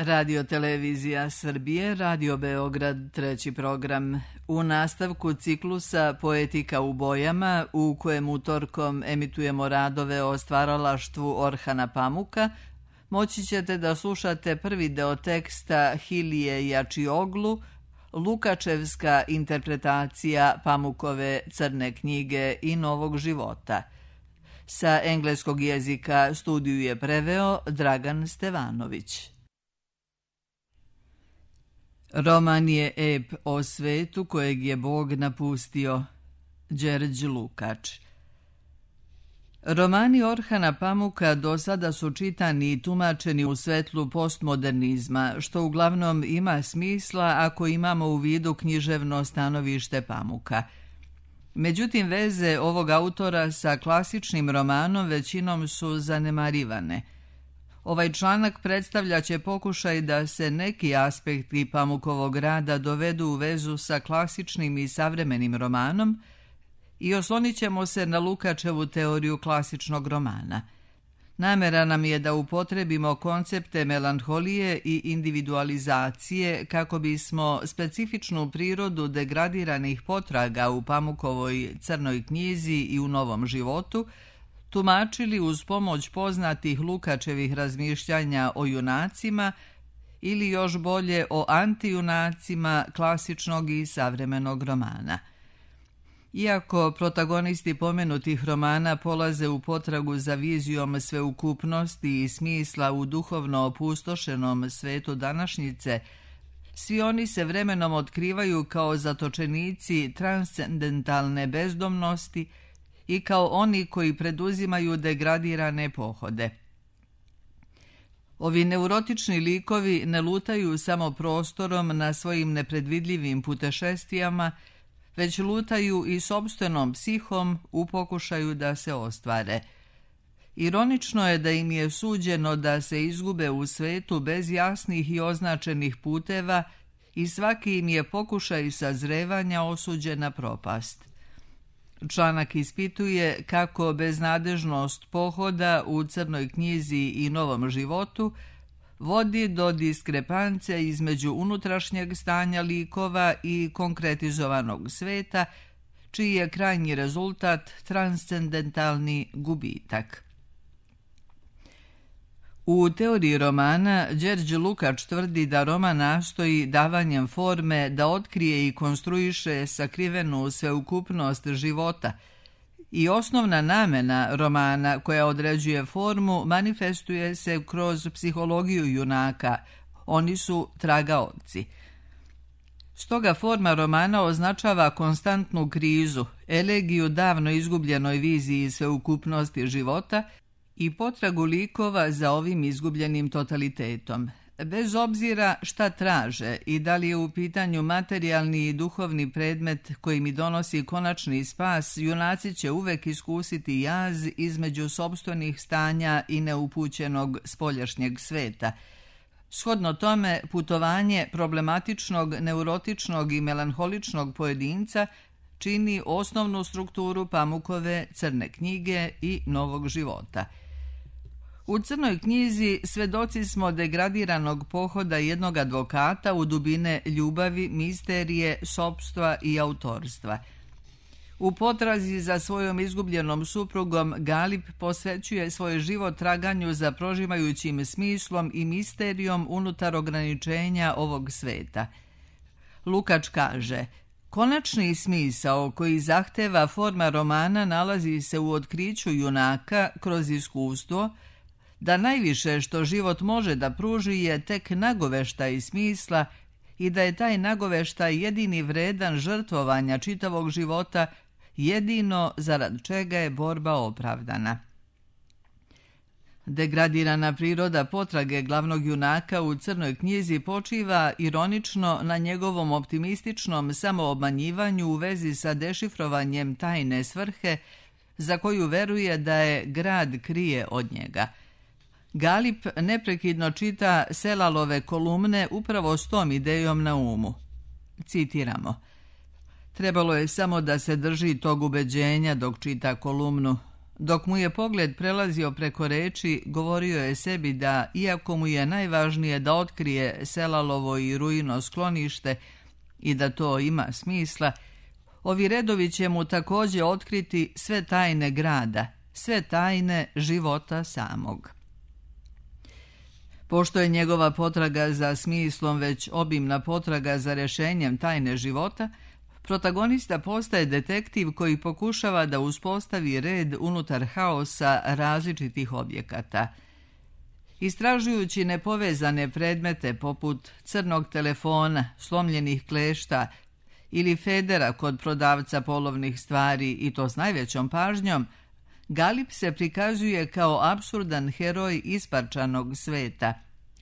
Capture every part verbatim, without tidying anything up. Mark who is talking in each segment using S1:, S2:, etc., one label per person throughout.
S1: Radio Televizija Srbije, Radio Beograd, treći program. U nastavku ciklusa Poetika u bojama, u kojem utorkom emitujemo radove o stvaralaštvu Orhana Pamuka, moći ćete da slušate prvi deo teksta Hilije Jačioglu, Lukačevska interpretacija Pamukove Crne knjige i Novog života. Sa engleskog jezika studiju je preveo Dragan Stevanović. Roman je ep o svetu kojeg je Bog napustio. Đerđ Lukač. Romani Orhana Pamuka do sada su čitani i tumačeni u svetlu postmodernizma, što uglavnom ima smisla ako imamo u vidu književno stanovište Pamuka. Međutim, veze ovog autora sa klasičnim romanom većinom su zanemarivane. Ovaj članak predstavljaće pokušaj da se neki aspekti Pamukovog rada dovedu u vezu sa klasičnim i savremenim romanom i oslonit ćemo se na Lukačevu teoriju klasičnog romana. Namera nam je da upotrebimo koncepte melanholije i individualizacije kako bismo specifičnu prirodu degradiranih potraga u Pamukovoj Crnoj knjizi i u Novom životu tumačili uz pomoć poznatih Lukačevih razmišljanja o junacima ili još bolje o antijunacima klasičnog i savremenog romana. Iako protagonisti pomenutih romana polaze u potragu za vizijom sveukupnosti i smisla u duhovno opustošenom svetu današnjice, svi oni se vremenom otkrivaju kao zatočenici transcendentalne bezdomnosti i kao oni koji preduzimaju degradirane pohode. Ovi neurotični likovi ne lutaju samo prostorom na svojim nepredvidljivim putešestvijama, već lutaju i sopstvenom psihom u pokušaju da se ostvare. Ironično je da im je suđeno da se izgube u svetu bez jasnih i označenih puteva i svaki im je pokušaj sazrevanja osuđen na propast. Članak ispituje kako beznadežnost pohoda u Crnoj knjizi i Novom životu vodi do diskrepance između unutrašnjeg stanja likova i konkretizovanog sveta, čiji je krajnji rezultat transcendentalni gubitak. U teoriji romana Đerđ Lukač tvrdi da roman nastoji davanjem forme da otkrije i konstruiše sakrivenu sveukupnost života i osnovna namena romana koja određuje formu manifestuje se kroz psihologiju junaka. Oni su tragaoci. Stoga forma romana označava konstantnu krizu, elegiju davno izgubljenoj viziji sveukupnosti života i potragu likova za ovim izgubljenim totalitetom. Bez obzira šta traže i da li je u pitanju materijalni i duhovni predmet koji mi donosi konačni spas, junaci će uvek iskusiti jaz između sopstvenih stanja i neupućenog spoljašnjeg sveta. Shodno tome, putovanje problematičnog, neurotičnog i melanholičnog pojedinca čini osnovnu strukturu Pamukove Crne knjige i Novog života. U Crnoj knjizi svedoci smo degradiranog pohoda jednog advokata u dubine ljubavi, misterije, sopstva i autorstva. U potrazi za svojom izgubljenom suprugom Galip posvećuje svoj život traganju za prožimajućim smislom i misterijom unutar ograničenja ovog sveta. Lukač kaže: konačni smisao koji zahteva forma romana nalazi se u otkriću junaka kroz iskustvo da najviše što život može da pruži je tek nagoveštaj smisla i da je taj nagoveštaj jedini vredan žrtvovanja čitavog života, jedino zarad čega je borba opravdana. Degradirana priroda potrage glavnog junaka u Crnoj knjizi počiva ironično na njegovom optimističnom samoobmanjivanju u vezi sa dešifrovanjem tajne svrhe za koju veruje da je grad krije od njega. Galip neprekidno čita Selalove kolumne upravo s tom idejom na umu. Citiramo: trebalo je samo da se drži tog ubeđenja dok čita kolumnu, Dok mu je pogled prelazio preko reči, govorio je sebi da, iako mu je najvažnije da otkrije Selalovo i Ruino sklonište i da to ima smisla, ovi redovi će mu također otkriti sve tajne grada, sve tajne života samog. Pošto je njegova potraga za smislom već obimna potraga za rješenjem tajne života, protagonista postaje detektiv koji pokušava da uspostavi red unutar haosa različitih objekata. Istražujući nepovezane predmete poput crnog telefona, slomljenih klešta ili federa kod prodavca polovnih stvari i to s najvećom pažnjom, Galip se prikazuje kao apsurdan heroj isparčanog sveta.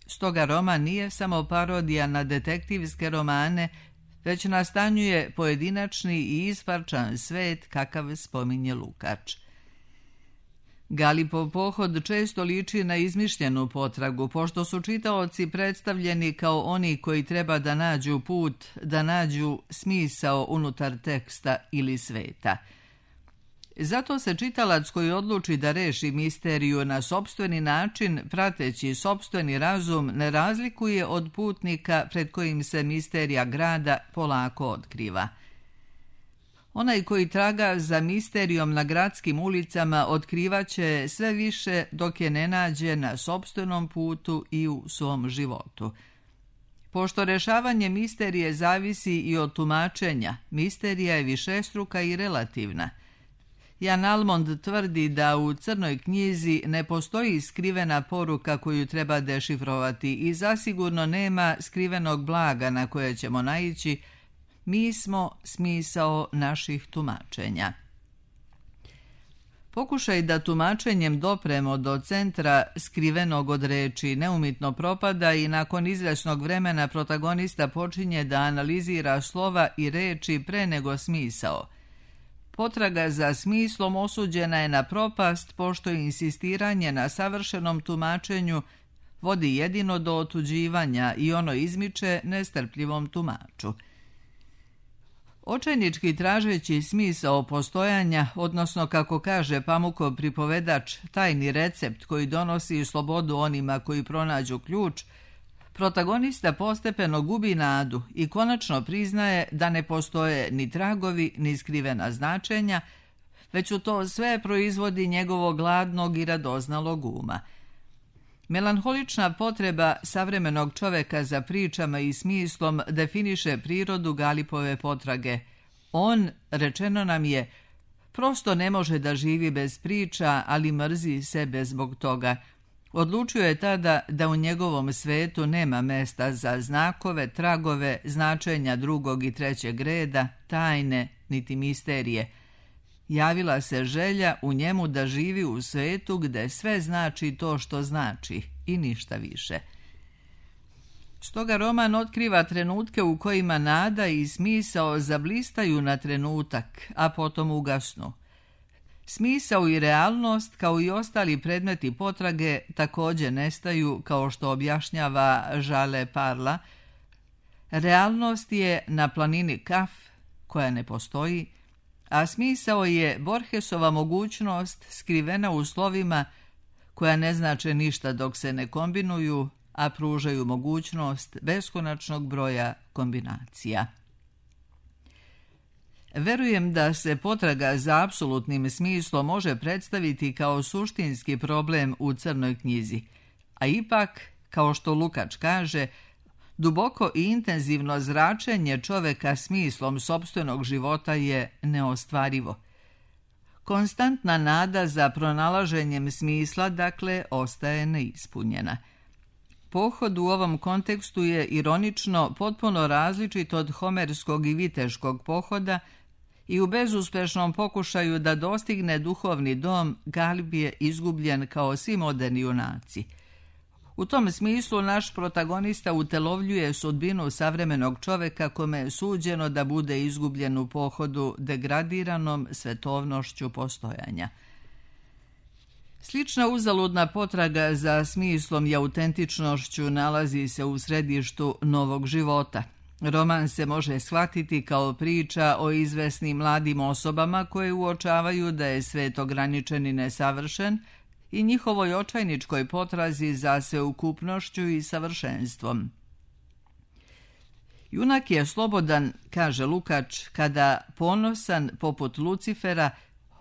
S1: Stoga roman nije samo parodija na detektivske romane, već nastanjuje pojedinačni i isparčan svet kakav spominje Lukač. Galipov pohod često liči na izmišljenu potragu, pošto su čitaoci predstavljeni kao oni koji treba da nađu put, da nađu smisao unutar teksta ili sveta. Zato se čitalac koji odluči da reši misteriju na sopstveni način, prateći sopstveni razum, ne razlikuje od putnika pred kojim se misterija grada polako otkriva. Onaj koji traga za misterijom na gradskim ulicama otkrivaće sve više dok je ne nađe na sopstvenom putu i u svom životu. Pošto rešavanje misterije zavisi i od tumačenja, misterija je višestruka i relativna. Jan Almond tvrdi da u Crnoj knjizi ne postoji skrivena poruka koju treba dešifrovati i zasigurno nema skrivenog blaga na koje ćemo naići. Mi smo smisao naših tumačenja. Pokušaj da tumačenjem dopremo do centra skrivenog od reči neumitno propada i nakon izvesnog vremena protagonista počinje da analizira slova i reči pre nego smisao. Potraga za smislom osuđena je na propast, pošto insistiranje na savršenom tumačenju vodi jedino do otuđivanja i ono izmiče nestrpljivom tumaču. Očajnički tražeći smisao postojanja, odnosno kako kaže Pamukov pripovedač, tajni recept koji donosi slobodu onima koji pronađu ključ, protagonista postepeno gubi nadu i konačno priznaje da ne postoje ni tragovi ni skrivena značenja, već u to sve proizvodi njegovog gladnog i radoznalog uma. Melanholična potreba savremenog čoveka za pričama i smislom definiše prirodu Galipove potrage. On, rečeno nam je, prosto ne može da živi bez priča, ali mrzi sebe zbog toga. Odlučio je tada da u njegovom svetu nema mesta za znakove, tragove, značenja drugog i trećeg reda, tajne, niti misterije. Javila se želja u njemu da živi u svetu gde sve znači to što znači i ništa više. Stoga roman otkriva trenutke u kojima nada i smisao zablistaju na trenutak, a potom ugasnu. Smisao i realnost, kao i ostali predmeti potrage, također nestaju, kao što objašnjava Žale Parla. Realnost je na planini Kaf, koja ne postoji, a smisao je Borgesova mogućnost skrivena u slovima koja ne znače ništa dok se ne kombinuju, a pružaju mogućnost beskonačnog broja kombinacija. Verujem da se potraga za apsolutnim smislom može predstaviti kao suštinski problem u Crnoj knjizi, a ipak, kao što Lukač kaže, duboko i intenzivno zračenje čoveka smislom sopstvenog života je neostvarivo. Konstantna nada za pronalaženjem smisla, dakle, ostaje neispunjena. Pohod u ovom kontekstu je ironično potpuno različit od homerskog i viteškog pohoda i u bezuspešnom pokušaju da dostigne duhovni dom Galip je izgubljen kao svi moderni junaci. U tom smislu naš protagonista utelovljuje sudbinu savremenog čoveka kome je suđeno da bude izgubljen u pohodu degradiranom svetovnošću postojanja. Slična uzaludna potraga za smislom i autentičnošću nalazi se u središtu Novog života. Roman se može shvatiti kao priča o izvesnim mladim osobama koje uočavaju da je svet ograničen i nesavršen i njihovoj očajničkoj potrazi za sveukupnošću i savršenstvom. Junak je slobodan, kaže Lukács, kada ponosan poput Lucifera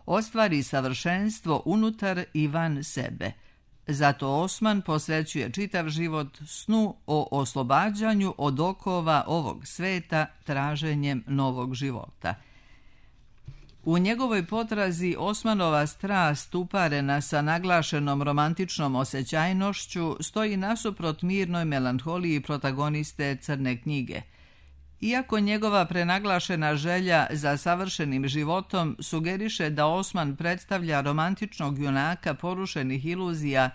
S1: ostvari savršenstvo unutar i van sebe. Zato Osman posvećuje čitav život snu o oslobađanju od okova ovog sveta traženjem novog života. U njegovoj potrazi Osmanova strast uparena sa naglašenom romantičnom osjećajnošću stoji nasuprot mirnoj melanholiji protagoniste Crne knjige. Iako njegova prenaglašena želja za savršenim životom sugeriše da Osman predstavlja romantičnog junaka porušenih iluzija,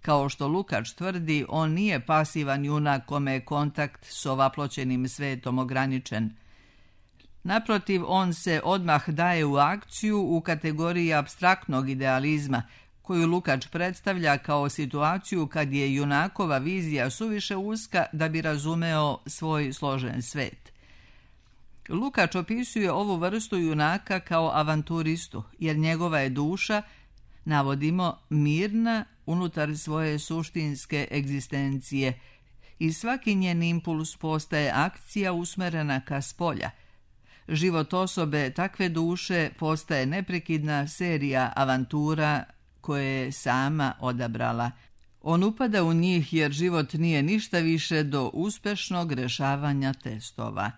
S1: kao što Lukács tvrdi, on nije pasivan junak kome je kontakt s ovaploćenim svetom ograničen. Naprotiv, on se odmah daje u akciju u kategoriji apstraktnog idealizma, koju Lukács predstavlja kao situaciju kad je junakova vizija suviše uska da bi razumeo svoj složen svet. Lukács opisuje ovu vrstu junaka kao avanturistu, jer njegova je duša, navodimo, mirna unutar svoje suštinske egzistencije i svaki njen impuls postaje akcija usmerena ka spolja. Život osobe takve duše postaje neprekidna serija avantura koje je sama odabrala. On upada u njih jer život nije ništa više do uspešnog rešavanja testova.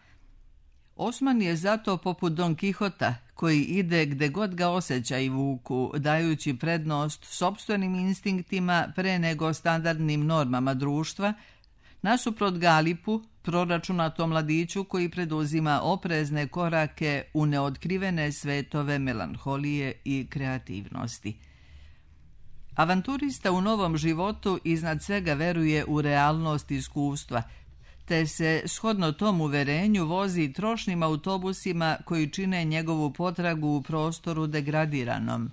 S1: Osman je zato poput Don Kihota, koji ide gde god ga osjećaji vuku, dajući prednost sopstvenim instinktima pre nego standardnim normama društva, nasuprot Galipu, proračunatom mladiću koji preduzima oprezne korake u neotkrivene svetove melanholije i kreativnosti. Avanturista u novom životu iznad svega veruje u realnost iskustva, te se shodno tom uverenju vozi trošnim autobusima koji čine njegovu potragu u prostoru degradiranom.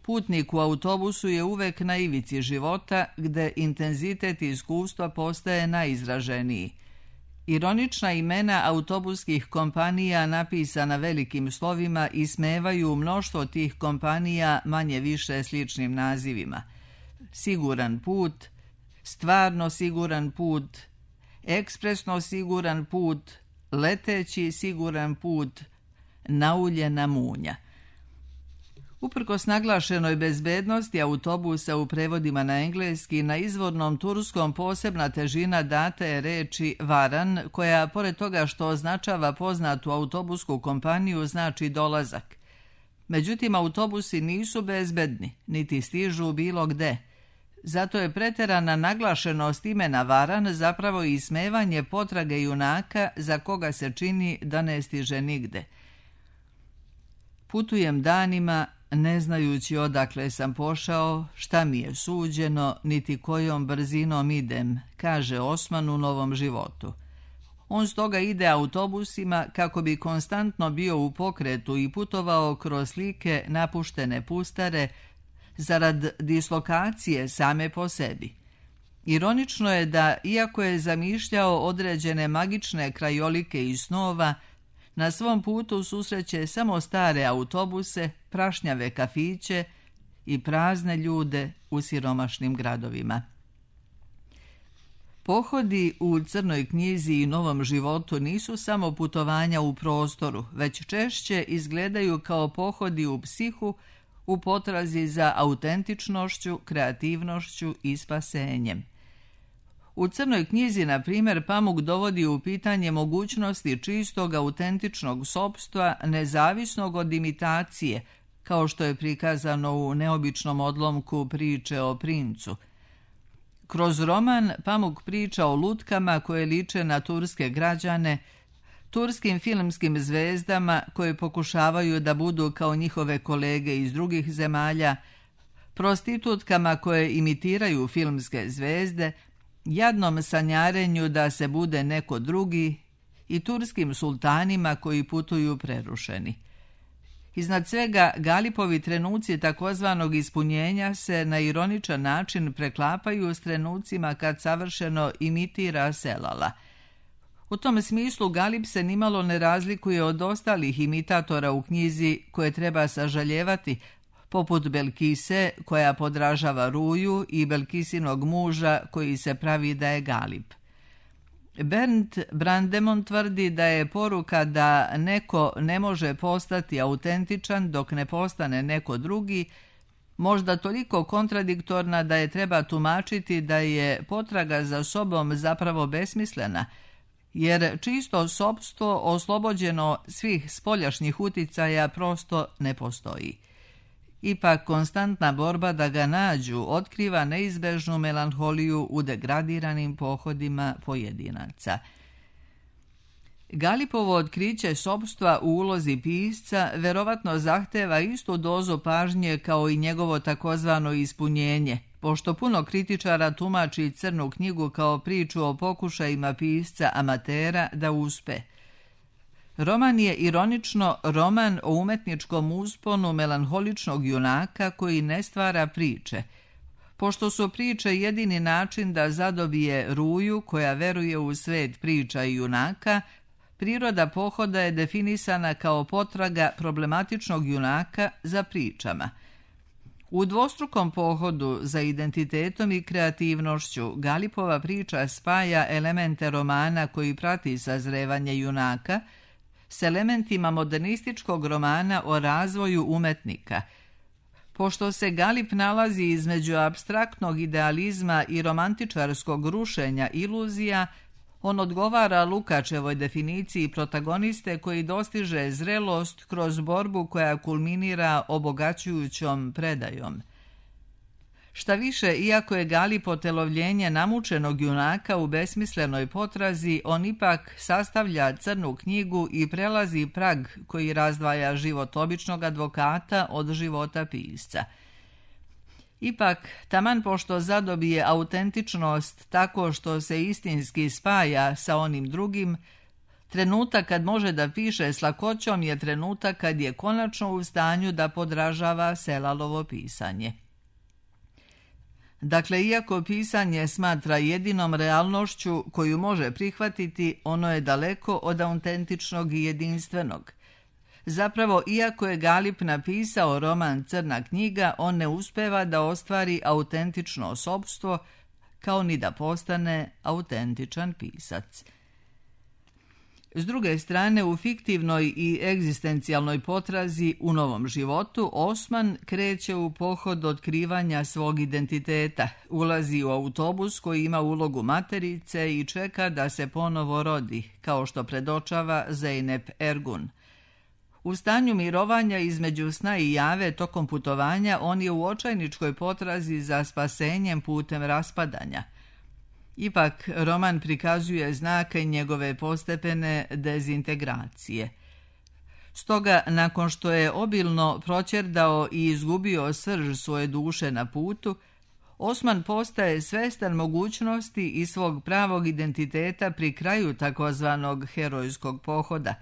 S1: Putnik u autobusu je uvek na ivici života, gde intenzitet iskustva postaje najizraženiji. Ironična imena autobuskih kompanija napisana velikim slovima ismevaju mnoštvo tih kompanija manje više sličnim nazivima. Siguran put, stvarno siguran put, ekspresno siguran put, leteći siguran put, nauljena munja. Uprkos naglašenoj bezbednosti autobusa u prevodima na engleski, na izvornom turskom posebna težina data je reči varan, koja, pored toga što označava poznatu autobusku kompaniju, znači dolazak. Međutim, autobusi nisu bezbedni, niti stižu bilo gde. Zato je preterana naglašenost imena varan zapravo ismevanje potrage junaka za koga se čini da ne stiže nigde. Putujem danima, ne znajući odakle sam pošao, šta mi je suđeno, niti kojom brzinom idem, kaže Osman u novom životu. On stoga ide autobusima kako bi konstantno bio u pokretu i putovao kroz slike napuštene pustare zarad dislokacije same po sebi. Ironično je da, iako je zamišljao određene magične krajolike i snova, na svom putu susreće samo stare autobuse, prašnjave kafiće i prazne ljude u siromašnim gradovima. Pohodi u Crnoj knjizi i Novom životu nisu samo putovanja u prostoru, već češće izgledaju kao pohodi u psihu u potrazi za autentičnošću, kreativnošću i spasenjem. U Crnoj knjizi, na primjer, Pamuk dovodi u pitanje mogućnosti čistog autentičnog sopstva nezavisnog od imitacije, kao što je prikazano u neobičnom odlomku priče o princu. Kroz roman Pamuk priča o lutkama koje liče na turske građane, turskim filmskim zvezdama koje pokušavaju da budu kao njihove kolege iz drugih zemalja, prostitutkama koje imitiraju filmske zvezde, jadnom sanjarenju da se bude neko drugi i turskim sultanima koji putuju prerušeni. Iznad svega, Galipovi trenuci takozvanog ispunjenja se na ironičan način preklapaju s trenucima kad savršeno imitira Selala. U tom smislu Galip se nimalo ne razlikuje od ostalih imitatora u knjizi koje treba sažaljevati, poput Belkise koja podražava Ruju i Belkisinog muža koji se pravi da je Galip. Bernd Brandemon tvrdi da je poruka da neko ne može postati autentičan dok ne postane neko drugi možda toliko kontradiktorna da je treba tumačiti da je potraga za sobom zapravo besmislena, jer čisto sopstvo oslobođeno svih spoljašnjih uticaja prosto ne postoji. Ipak konstantna borba da ga nađu otkriva neizbežnu melanholiju u degradiranim pohodima pojedinaca. Galipovo otkriće sopstva u ulozi pisca verovatno zahteva istu dozu pažnje kao i njegovo takozvano ispunjenje, pošto puno kritičara tumači Crnu knjigu kao priču o pokušajima pisca amatera da uspe. Roman je ironično roman o umetničkom usponu melanholičnog junaka koji ne stvara priče, pošto su priče jedini način da zadobije Ruju koja veruje u svet priča i junaka. Priroda pohoda je definisana kao potraga problematičnog junaka za pričama. U dvostrukom pohodu za identitetom i kreativnošću Galipova priča spaja elemente romana koji prati sazrevanje junaka s elementima modernističkog romana o razvoju umetnika. Pošto se Galip nalazi između apstraktnog idealizma i romantičarskog rušenja iluzija, on odgovara Lukačevoj definiciji protagoniste koji dostiže zrelost kroz borbu koja kulminira obogaćujućom predajom. Šta više, iako je Galip otelovljenje namučenog junaka u besmislenoj potrazi, on ipak sastavlja Crnu knjigu i prelazi prag koji razdvaja život običnog advokata od života pisca. Ipak, taman pošto zadobije autentičnost tako što se istinski spaja sa onim drugim, trenutak kad može da piše s lakoćom je trenutak kad je konačno u stanju da podražava Selalovo pisanje. Dakle, iako pisanje smatra jedinom realnošću koju može prihvatiti, ono je daleko od autentičnog i jedinstvenog. Zapravo, iako je Galip napisao roman Crna knjiga, on ne uspeva da ostvari autentično sopstvo, kao ni da postane autentičan pisac. S druge strane, u fiktivnoj i egzistencijalnoj potrazi u novom životu, Osman kreće u pohod otkrivanja svog identiteta, ulazi u autobus koji ima ulogu materice i čeka da se ponovo rodi, kao što predočava Zeynep Ergun. U stanju mirovanja između sna i jave tokom putovanja on je u očajničkoj potrazi za spasenjem putem raspadanja. Ipak, roman prikazuje znake njegove postepene dezintegracije. Stoga, nakon što je obilno proćerdao i izgubio srž svoje duše na putu, Osman postaje svestan mogućnosti i svog pravog identiteta pri kraju takozvanog herojskog pohoda.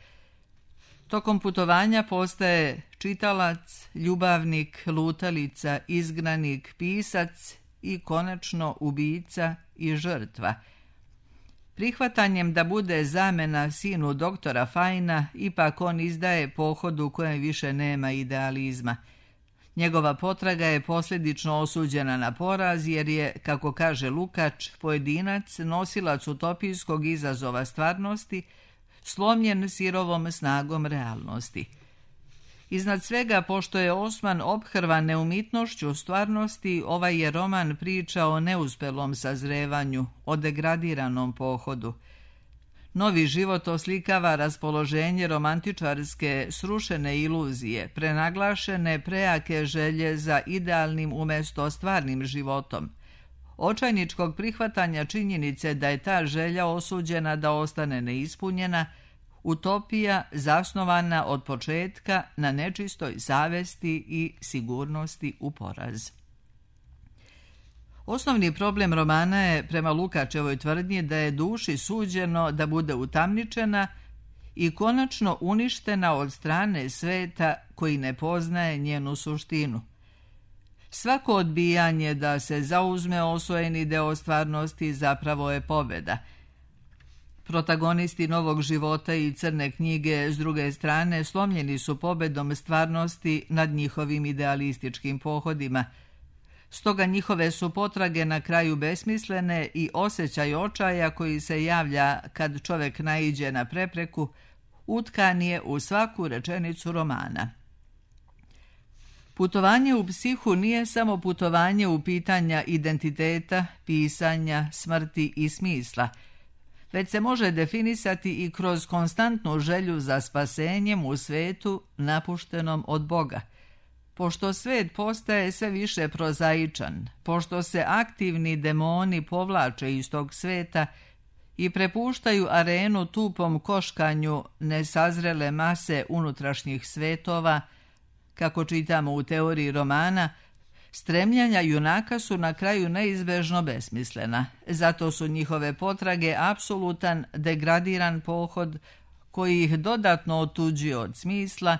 S1: Tokom putovanja postaje čitalac, ljubavnik, lutalica, izgnanik, pisac i konačno ubica i žrtva. Prihvatanjem da bude zamena sinu doktora Fajna, ipak on izdaje pohod u kojem više nema idealizma. Njegova potraga je posljedično osuđena na poraz jer je, kako kaže Lukač, pojedinac, nosilac utopijskog izazova stvarnosti, slomljen sirovom snagom realnosti. Iznad svega, pošto je Osman ophrvan neumitnošću stvarnosti, ovaj je roman priča o neuspelom sazrevanju, o degradiranom pohodu. Novi život oslikava raspoloženje romantičarske srušene iluzije, prenaglašene prejake želje za idealnim umjesto stvarnim životom, očajničkog prihvatanja činjenice da je ta želja osuđena da ostane neispunjena, utopija zasnovana od početka na nečistoj savesti i sigurnosti u poraz. Osnovni problem romana je, prema Lukačevoj tvrdnji, da je duši suđeno da bude utamničena i konačno uništena od strane sveta koji ne poznaje njenu suštinu. Svako odbijanje da se zauzme osvojeni deo stvarnosti zapravo je pobjeda. Protagonisti Novog života i Crne knjige, s druge strane, slomljeni su pobedom stvarnosti nad njihovim idealističkim pohodima. Stoga njihove su potrage na kraju besmislene i osjećaj očaja koji se javlja kad čovjek naiđe na prepreku, utkan je u svaku rečenicu romana. Putovanje u psihu nije samo putovanje u pitanja identiteta, pisanja, smrti i smisla, već se može definisati i kroz konstantnu želju za spasenjem u svetu napuštenom od Boga. Pošto svet postaje sve više prozaičan, pošto se aktivni demoni povlače iz tog sveta i prepuštaju arenu tupom koškanju nesazrele mase unutrašnjih svetova, kako čitamo u teoriji romana, stremljanja junaka su na kraju neizbežno besmislena. Zato su njihove potrage apsolutan, degradiran pohod koji ih dodatno otuđuje od smisla,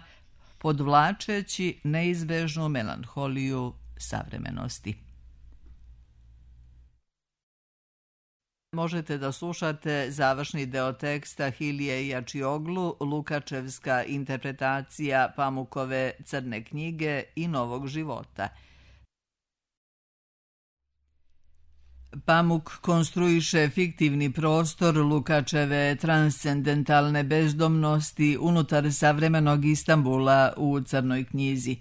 S1: podvlačeći neizbežnu melanholiju savremenosti. Možete da slušate završni deo teksta Hilije Jačioglu, Lukačevska interpretacija Pamukove Crne knjige i Novog života. Pamuk konstruiše fiktivni prostor Lukačeve transcendentalne bezdomnosti unutar savremenog Istambula u Crnoj knjizi.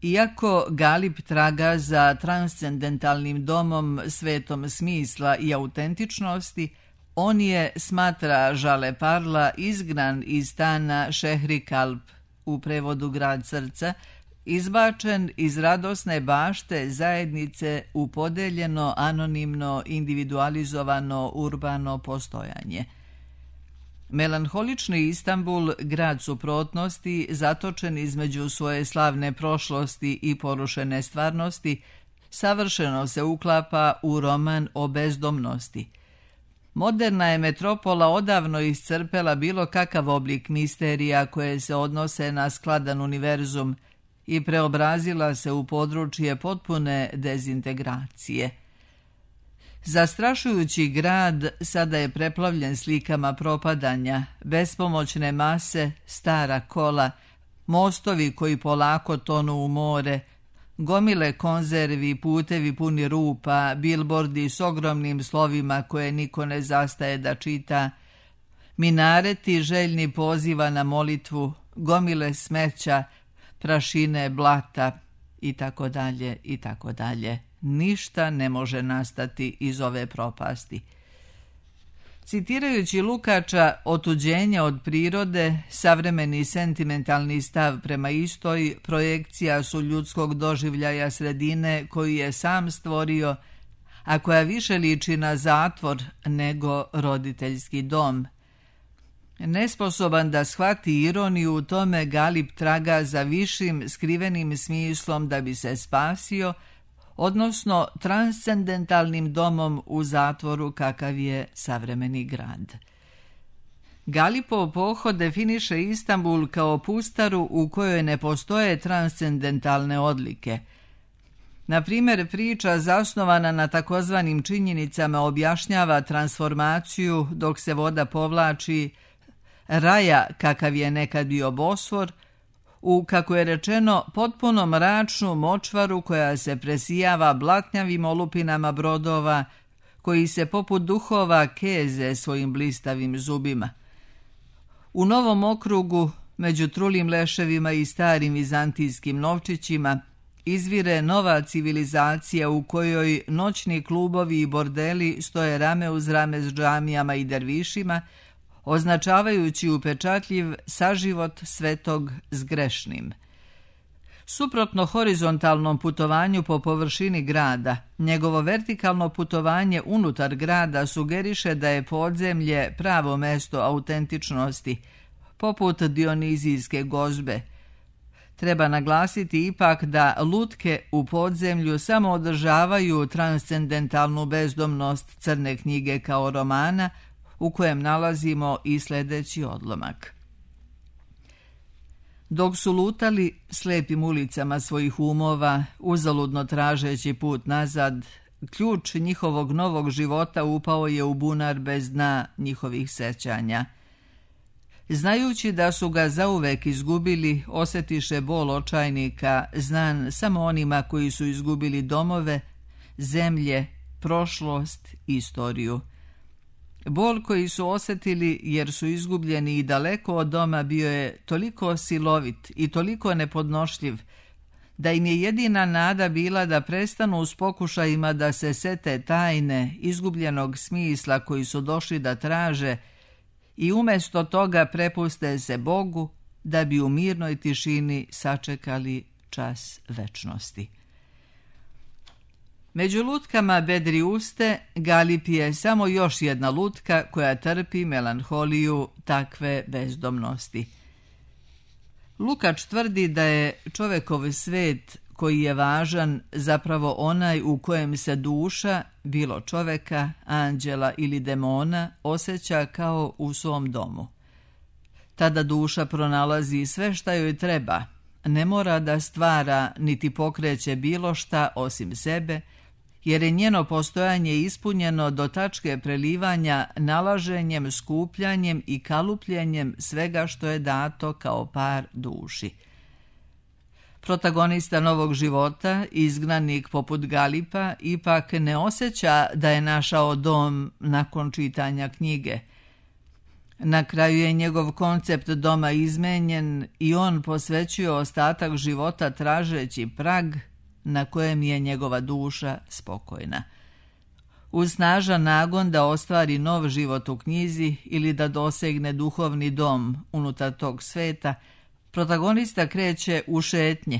S1: Iako Galip traga za transcendentalnim domom, svetom smisla i autentičnosti, on je, smatra Žale Parla, izgnan iz stana Šehri Kalp, u prevodu grad srca, izbačen iz radosne bašte zajednice u podeljeno, anonimno, individualizovano, urbano postojanje. Melanholični Istambul, grad suprotnosti, zatočen između svoje slavne prošlosti i porušene stvarnosti, savršeno se uklapa u roman o bezdomnosti. Moderna je metropola odavno iscrpela bilo kakav oblik misterija koje se odnose na skladan univerzum i preobrazila se u područje potpune dezintegracije. Zastrašujući grad sada je preplavljen slikama propadanja, bespomoćne mase, stara kola, mostovi koji polako tonu u more, gomile konzervi, putevi puni rupa, bilbordi s ogromnim slovima koje niko ne zastaje da čita, minareti željni poziva na molitvu, gomile smeća, prašine, blata i tako dalje i tako dalje. Ništa ne može nastati iz ove propasti. Citirajući Lukača, otuđenje od prirode, savremeni sentimentalni stav prema istoj, projekcija su ljudskog doživljaja sredine koju je sam stvorio, a koja više liči na zatvor nego roditeljski dom. Nesposoban da shvati ironiju u tome, Galip traga za višim skrivenim smislom da bi se spasio, odnosno transcendentalnim domom u zatvoru kakav je savremeni grad. Galipov pohod definiše Istambul kao pustaru u kojoj ne postoje transcendentalne odlike. Na primjer, priča zasnovana na takozvanim činjenicama objašnjava transformaciju dok se voda povlači raja kakav je nekad bio Bosfor, u, kako je rečeno, potpuno mračnu močvaru koja se presijava blatnjavim olupinama brodova, koji se poput duhova keze svojim blistavim zubima. U Novom okrugu, među trulim leševima i starim vizantijskim novčićima, izvire nova civilizacija u kojoj noćni klubovi i bordeli stoje rame uz rame s džamijama i dervišima, označavajući upečatljiv saživot svetog s grešnim. Suprotno horizontalnom putovanju po površini grada, njegovo vertikalno putovanje unutar grada sugeriše da je podzemlje pravo mesto autentičnosti, poput Dionizijske gozbe. Treba naglasiti ipak da lutke u podzemlju samo održavaju transcendentalnu bezdomnost Crne knjige kao romana, u kojem nalazimo i sljedeći odlomak. Dok su lutali slepim ulicama svojih umova, uzaludno tražeći put nazad, ključ njihovog novog života upao je u bunar bez dna njihovih sećanja. Znajući da su ga zauvek izgubili, osjetiše bol očajnika, znan samo onima koji su izgubili domove, zemlje, prošlost, istoriju. Bol koji su osjetili jer su izgubljeni i daleko od doma bio je toliko silovit i toliko nepodnošljiv, da im je jedina nada bila da prestanu s pokušajima da se sete tajne, izgubljenog smisla koji su došli da traže i umjesto toga prepuste se Bogu da bi u mirnoj tišini sačekali čas večnosti. Među lutkama Bedriuste Galip je samo još jedna lutka koja trpi melanholiju takve bezdomnosti. Lukač tvrdi da je čovekov svet koji je važan zapravo onaj u kojem se duša, bilo čoveka, anđela ili demona, osjeća kao u svom domu. Tada duša pronalazi sve šta joj treba, ne mora da stvara niti pokreće bilo šta osim sebe, jer je njeno postojanje ispunjeno do tačke prelivanja nalaženjem, skupljanjem i kalupljenjem svega što je dato kao par duši. Protagonista novog života, izgnanik poput Galipa, ipak ne osjeća da je našao dom nakon čitanja knjige. Na kraju je njegov koncept doma izmenjen i on posvećuje ostatak života tražeći prag na kojem je njegova duša spokojna. Uz snažan nagon da ostvari nov život u knjizi ili da dosegne duhovni dom unutar tog sveta, protagonista kreće u šetnje,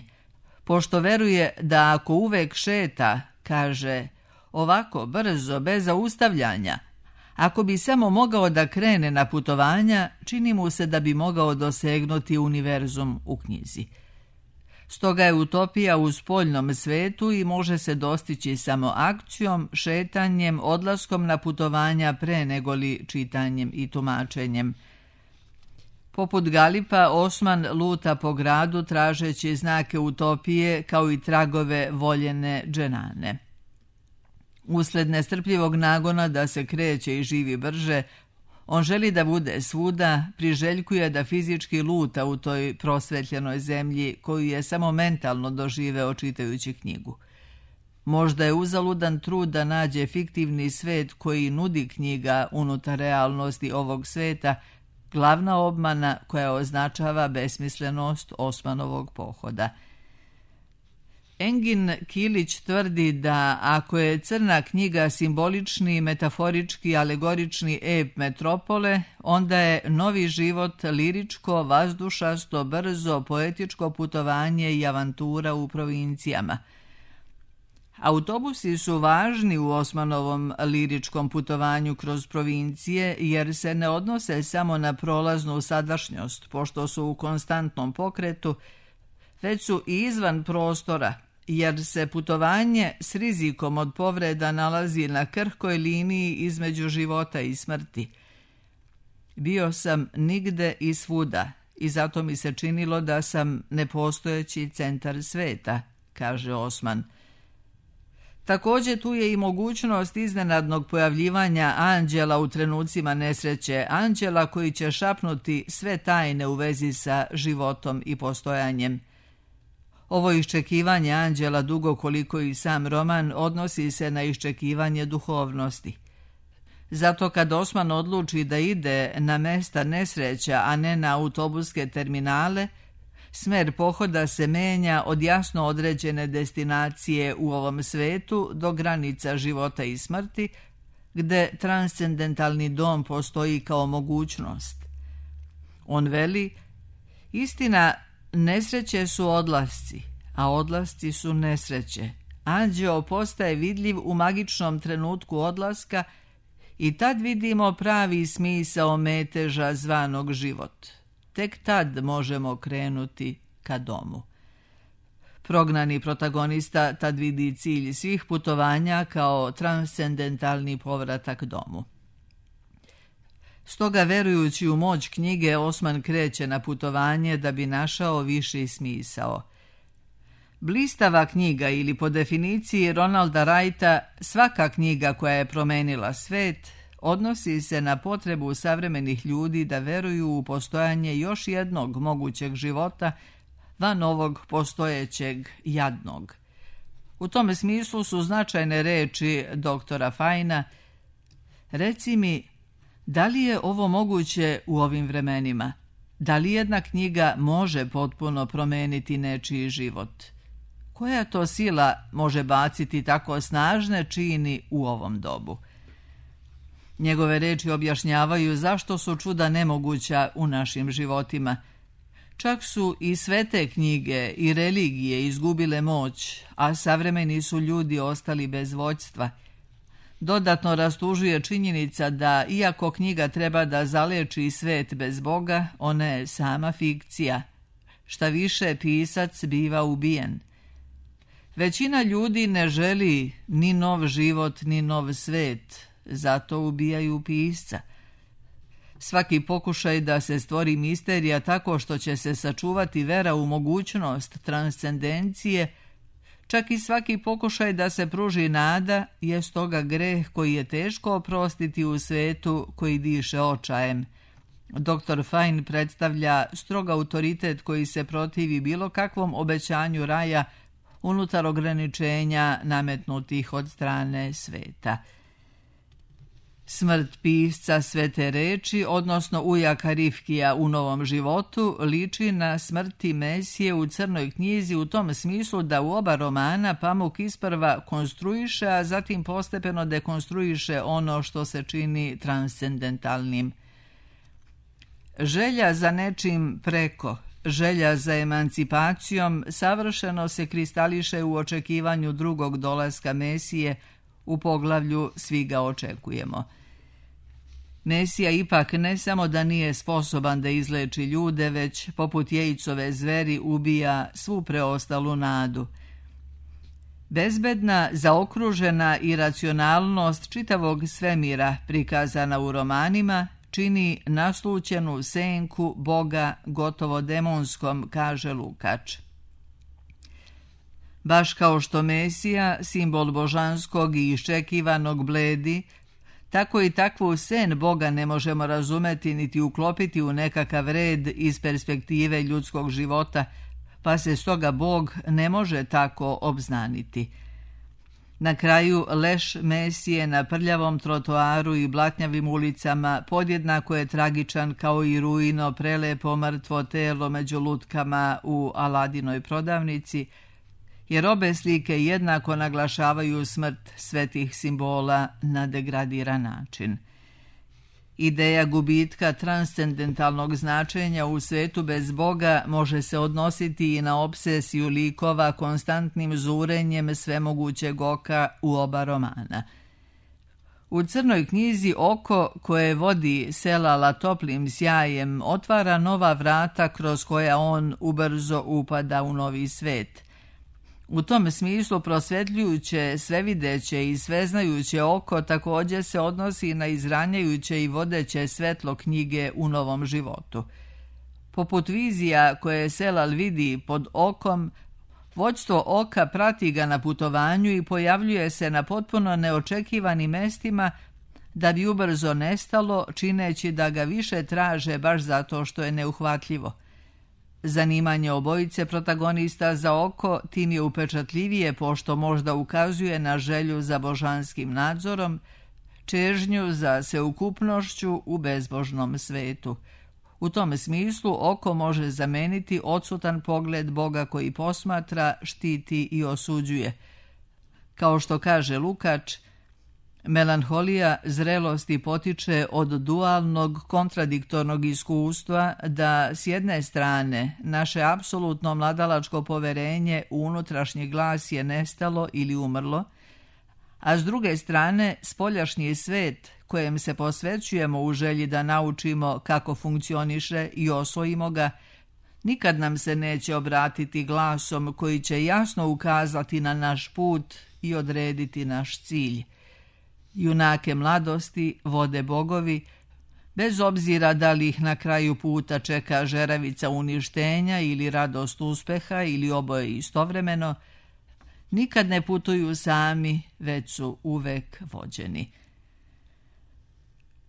S1: pošto veruje da ako uvek šeta, kaže, ovako brzo, bez zaustavljanja, ako bi samo mogao da krene na putovanja, čini mu se da bi mogao dosegnuti univerzum u knjizi. Stoga je utopija u spoljnom svetu i može se dostići samo akcijom, šetanjem, odlaskom na putovanja pre negoli čitanjem i tumačenjem. Poput Galipa, Osman luta po gradu tražeći znake utopije kao i tragove voljene dženane. Usled nestrpljivog nagona da se kreće i živi brže, on želi da bude svuda, priželjkuje da fizički luta u toj prosvetljenoj zemlji koju je samo mentalno doživeo čitajući knjigu. Možda je uzaludan trud da nađe fiktivni svet koji nudi knjiga unutar realnosti ovog sveta, glavna obmana koja označava besmislenost Osmanovog pohoda. Engin Kilić tvrdi da ako je crna knjiga simbolični, metaforički, alegorični ep metropole, onda je novi život liričko, vazdušasto, brzo, poetičko putovanje i avantura u provincijama. Autobusi su važni u Osmanovom liričkom putovanju kroz provincije jer se ne odnose samo na prolaznu sadašnjost, pošto su u konstantnom pokretu, već su i izvan prostora, jer se putovanje s rizikom od povreda nalazi na krhkoj liniji između života i smrti. Bio sam nigde i svuda i zato mi se činilo da sam nepostojeći centar sveta, kaže Osman. Također tu je i mogućnost iznenadnog pojavljivanja anđela u trenucima nesreće, anđela koji će šapnuti sve tajne u vezi sa životom i postojanjem. Ovo iščekivanje anđela, dugo koliko i sam roman, odnosi se na iščekivanje duhovnosti. Zato kad Osman odluči da ide na mesta nesreća, a ne na autobuske terminale, smer pohoda se menja od jasno određene destinacije u ovom svetu do granica života i smrti, gde transcendentalni dom postoji kao mogućnost. On veli, istina, nesreće su odlasci, a odlasci su nesreće. Anđeo postaje vidljiv u magičnom trenutku odlaska i tad vidimo pravi smisao meteža zvanog život. Tek tad možemo krenuti ka domu. Prognani protagonista tad vidi cilj svih putovanja kao transcendentalni povratak domu. Stoga, verujući u moć knjige, Osman kreće na putovanje da bi našao viši smisao. Blistava knjiga ili po definiciji Ronalda Wrighta svaka knjiga koja je promenila svet odnosi se na potrebu savremenih ljudi da veruju u postojanje još jednog mogućeg života van ovog postojećeg jadnog. U tome smislu su značajne reči doktora Fajna: reci mi, da li je ovo moguće u ovim vremenima? Da li jedna knjiga može potpuno promeniti nečiji život? Koja to sila može baciti tako snažne čini u ovom dobu? Njegove reči objašnjavaju zašto su čuda nemoguća u našim životima. Čak su i svete knjige i religije izgubile moć, a savremeni su ljudi ostali bez vođstva. Dodatno rastužuje činjenica da, iako knjiga treba da zaleči svet bez Boga, ona je sama fikcija. Šta više, pisac biva ubijen. Većina ljudi ne želi ni nov život, ni nov svet, zato ubijaju pisca. Svaki pokušaj da se stvori misterija tako što će se sačuvati vera u mogućnost transcendencije, čak i svaki pokušaj da se pruži nada, je stoga greh koji je teško oprostiti u svetu koji diše očajem. doktor Fajn predstavlja strog autoritet koji se protivi bilo kakvom obećanju raja unutar ograničenja nametnutih od strane sveta. Smrt pisca svete reči, odnosno ujaka Rifkija u Novom životu, liči na smrti Mesije u Crnoj knjizi u tom smislu da u oba romana Pamuk isprva konstruiše, a zatim postepeno dekonstruiše ono što se čini transcendentalnim. Želja za nečim preko, želja za emancipacijom savršeno se kristališe u očekivanju drugog dolaska Mesije u poglavlju Svi ga očekujemo. Mesija ipak ne samo da nije sposoban da izleči ljude, već poput Jejcove zveri ubija svu preostalu nadu. Bezbedna, zaokružena iracionalnost čitavog svemira prikazana u romanima čini naslućenu senku Boga gotovo demonskom, kaže Lukač. Baš kao što Mesija, simbol božanskog i iščekivanog, bledi, tako i takvu sen Boga ne možemo razumeti niti uklopiti u nekakav red iz perspektive ljudskog života, pa se stoga Bog ne može tako obznaniti. Na kraju, leš Mesije na prljavom trotoaru i blatnjavim ulicama podjednako je tragičan kao i ruino prelepo mrtvo telo među lutkama u Aladinoj prodavnici, jer obe slike jednako naglašavaju smrt svetih simbola na degradiran način. Ideja gubitka transcendentalnog značenja u svetu bez Boga može se odnositi i na obsesiju likova konstantnim zurenjem svemogućeg oka u oba romana. U Crnoj knjizi oko koje vodi Selala toplim sjajem otvara nova vrata kroz koja on ubrzo upada u novi svet. U tom smislu prosvetljujuće, svevideće i sveznajuće oko također se odnosi na izranjajuće i vodeće svetlo knjige u Novom životu. Poput vizija koje Selal vidi pod okom, vođstvo oka prati ga na putovanju i pojavljuje se na potpuno neočekivanim mestima da bi ubrzo nestalo, čineći da ga više traže baš zato što je neuhvatljivo. Zanimanje obojice protagonista za oko tim je upečatljivije pošto možda ukazuje na želju za božanskim nadzorom, čežnju za sveukupnošću u bezbožnom svetu. U tom smislu oko može zameniti odsutan pogled Boga koji posmatra, štiti i osuđuje. Kao što kaže Lukač, melanholija zrelosti potiče od dualnog kontradiktornog iskustva da s jedne strane naše apsolutno mladalačko poverenje u unutrašnji glas je nestalo ili umrlo, a s druge strane spoljašnji svet kojem se posvećujemo u želji da naučimo kako funkcioniše i osvojimo ga, nikad nam se neće obratiti glasom koji će jasno ukazati na naš put i odrediti naš cilj. Junake mladosti vode bogovi, bez obzira da li ih na kraju puta čeka žeravica uništenja ili radost uspeha ili oboje istovremeno, nikad ne putuju sami, već su uvek vođeni.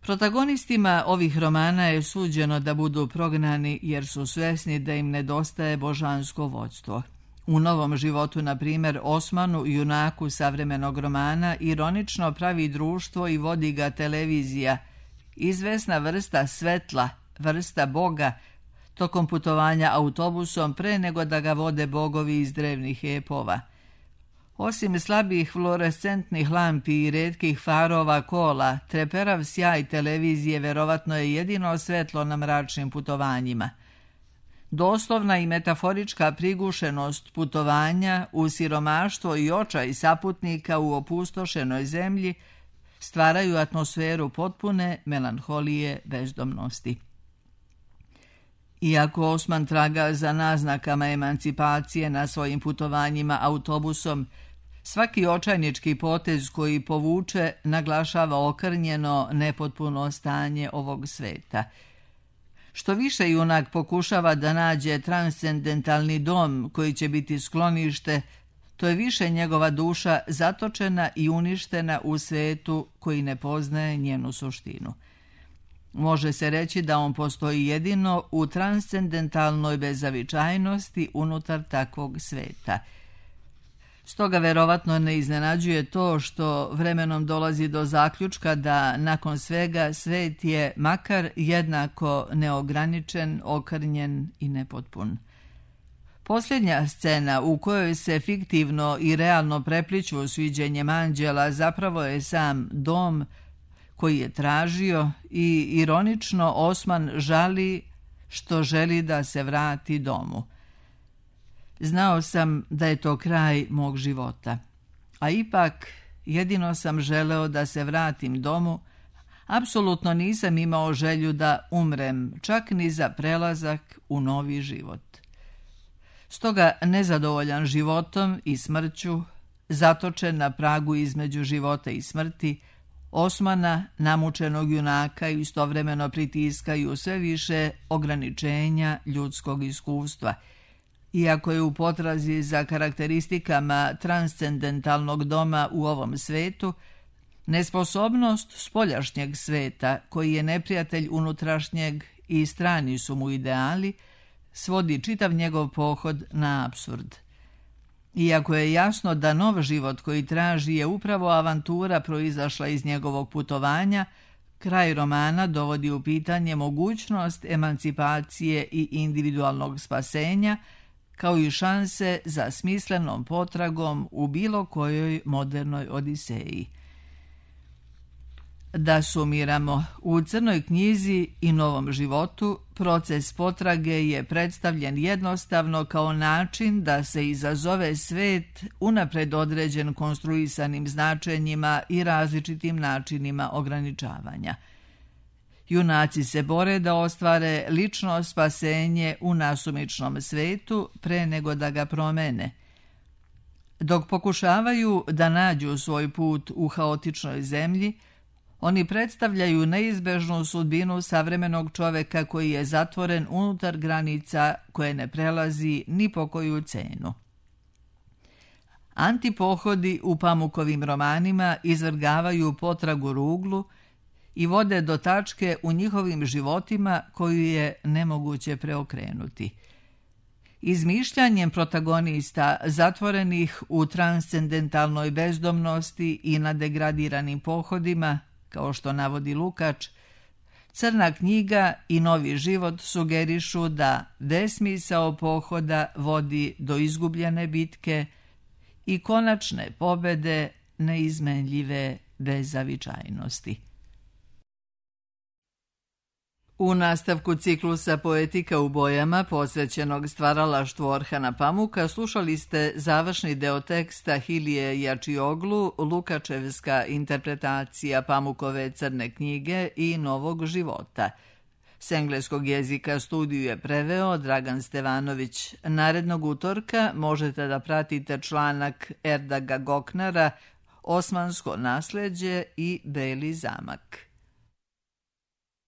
S1: Protagonistima ovih romana je suđeno da budu prognani jer su svesni da im nedostaje božansko vodstvo. U Novom životu, na primjer, Osmanu, junaku savremenog romana, ironično pravi društvo i vodi ga televizija, izvesna vrsta svetla, vrsta Boga, tokom putovanja autobusom pre nego da ga vode bogovi iz drevnih epova. Osim slabih fluorescentnih lampi i retkih farova kola, treperav sjaj televizije verovatno je jedino svetlo na mračnim putovanjima. Doslovna i metaforička prigušenost putovanja u siromaštvo i očaj saputnika u opustošenoj zemlji stvaraju atmosferu potpune melanholije bezdomnosti. Iako Osman traga za naznakama emancipacije na svojim putovanjima autobusom, svaki očajnički potez koji povuče naglašava okrnjeno, nepotpuno stanje ovog sveta. Što više junak pokušava da nađe transcendentalni dom koji će biti sklonište, to je više njegova duša zatočena i uništena u svetu koji ne poznaje njenu suštinu. Može se reći da on postoji jedino u transcendentalnoj bezavičajnosti unutar takvog sveta. Stoga verovatno ne iznenađuje to što vremenom dolazi do zaključka da nakon svega svet je makar jednako neograničen, okrnjen i nepotpun. Posljednja scena u kojoj se fiktivno i realno prepliću sviđenjem anđela zapravo je sam dom koji je tražio i ironično Osman žali što želi da se vrati domu. Znao sam da je to kraj mog života, a ipak jedino sam želeo da se vratim domu, apsolutno nisam imao želju da umrem, čak ni za prelazak u novi život. Stoga nezadovoljan životom i smrću, zatočen na pragu između života i smrti, Osmana, namučenog junaka, istovremeno pritiskaju sve više ograničenja ljudskog iskustva. Iako je u potrazi za karakteristikama transcendentalnog doma u ovom svetu, nesposobnost spoljašnjeg sveta, koji je neprijatelj unutrašnjeg i strani su mu ideali, svodi čitav njegov pohod na apsurd. Iako je jasno da nov život koji traži je upravo avantura proizašla iz njegovog putovanja, kraj romana dovodi u pitanje mogućnost emancipacije i individualnog spasenja, kao i šanse za smislenom potragom u bilo kojoj modernoj odiseji. Da sumiramo, u Crnoj knjizi i Novom životu proces potrage je predstavljen jednostavno kao način da se izazove svet unapred određen konstruisanim značenjima i različitim načinima ograničavanja. Junaci se bore da ostvare lično spasenje u nasumičnom svetu pre nego da ga promene. Dok pokušavaju da nađu svoj put u haotičnoj zemlji, oni predstavljaju neizbežnu sudbinu savremenog čoveka koji je zatvoren unutar granica koje ne prelazi ni po koju cenu. Antipohodi u Pamukovim romanima izvrgavaju potragu ruglu i vode do tačke u njihovim životima koju je nemoguće preokrenuti. Izmišljanjem protagonista zatvorenih u transcendentalnoj bezdomnosti i na degradiranim pohodima, kao što navodi Lukač, Crna knjiga i Novi život sugerišu da besmisao pohoda vodi do izgubljene bitke i konačne pobede neizmenljive bezavičajnosti. U nastavku ciklusa Poetika u bojama, posvećenog stvaralaštvu Orhana Pamuka, slušali ste završni deo teksta Hilije Jačioglu, Lukačevska interpretacija Pamukove Crne knjige i Novog života. S engleskog jezika studiju je preveo Dragan Stevanović. Narednog utorka možete da pratite članak Erdaga Goknara Osmansko nasleđe i Beli zamak.